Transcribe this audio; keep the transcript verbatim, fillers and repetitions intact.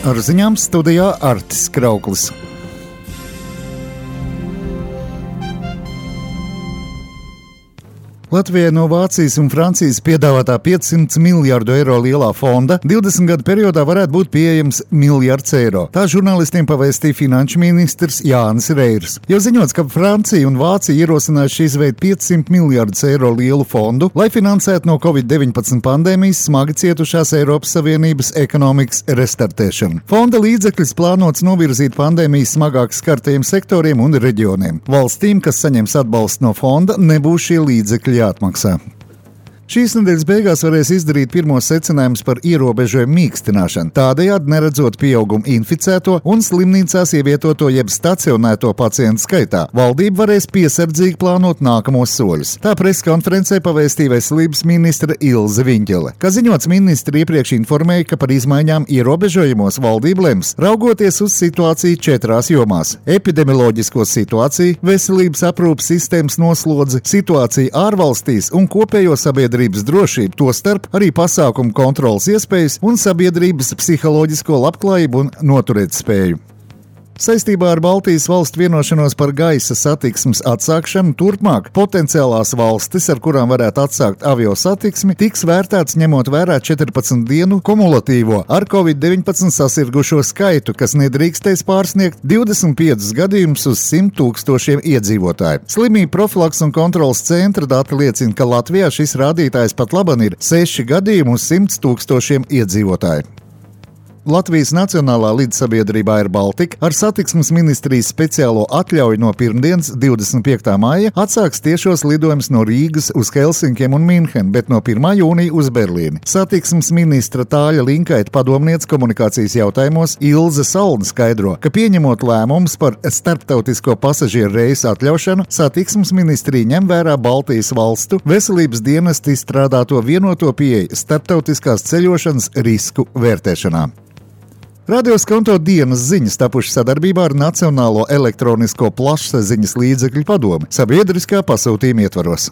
Ar ziņām studijā Artis Krauklis. Latvijai no Vācijas un Francijas piedāvātā piecsimt miljardu eiro lielā fonda divdesmit gadu periodā varētu būt pieejams miljards eiro. Tā žurnālistiem pavēstīja finanšu ministrs Jānis Reirs. Jau ziņots, ka Francija un Vācija ierosinājuši izveikt piecsimt miljardus eiro lielu fondu, lai finansētu no covid deviņpadsmit pandēmijas smagi cietušās Eiropas Savienības ekonomikas restartēšanu. Fonda līdzekļus plānots novirzīt pandēmijas smagāk skartajiem sektoriem un reģioniem. Valstīm, kas saņems atbalstu no fonda, nebūs šie līdzekļi jāatmaksā. Šīs nedēļas beigās varēs izdarīt pirmos secinājumus par ierobežojumu mīkstināšanu, tādējādi neredzot pieaugumu inficēto un slimnīcās ievietoto jeb stacionēto pacientu skaitā. Valdība varēs piesardzīgi plānot nākamos soļus. Tā preskonferencē pavēstīja veselības ministre Ilze Viņķele. Kā ziņots, ministri iepriekš informēja, ka par izmaiņām ierobežojumos valdība lems, raugoties uz situāciju četrās jomās – epidemioloģisko situāciju, veselības aprūpes sistēmas noslodzi, situāciju ārvalstīs un kopējo sabiedrību drošību, tostarp arī pasākumu kontrolas iespējas un sabiedrības psiholoģisko labklājību un noturētspēju. Saistībā ar Baltijas valstu vienošanos par gaisa satiksmes atsākšanu turpmāk potenciālās valstis, ar kurām varētu atsākt avio satiksmi, tiks vērtēts ņemot vērā četrpadsmit dienu kumulatīvo ar covid deviņpadsmit sasirgušo skaitu, kas nedrīkstēs pārsniegt divdesmit piecus gadījumus uz simt tūkstošiem iedzīvotāju. Slimību profilaks un kontrolas centra dati liecina, ka Latvijā šis rādītājs pat laban ir seši gadījumi uz simt tūkstošiem iedzīvotāju. Latvijas Nacionālā līdzsabiedrība Air Baltica ar satiksmes ministrijas speciālo atļauju no pirmdienas, divdesmit piektā maija, atsāks tiešos lidojumus no Rīgas uz Helsinkiem un Minhenu, bet no pirmā jūnija uz Berlīni. Satiksmes ministra Tāļa Linkaita padomniece komunikācijas jautājumos Ilze Salna skaidro, ka pieņemot lēmumus par starptautisko pasažieru reisu atļaušanu, satiksmes ministrija ņem vērā Baltijas valstu veselības dienesta izstrādāto vienoto pieeju starptautiskās ceļošanas risku vērtēšanā. Radio Skonto dienas ziņas tapušas sadarbībā ar Nacionālo elektronisko plašsaziņas līdzekļu padomi sabiedriskā pasūtījuma ietvaros.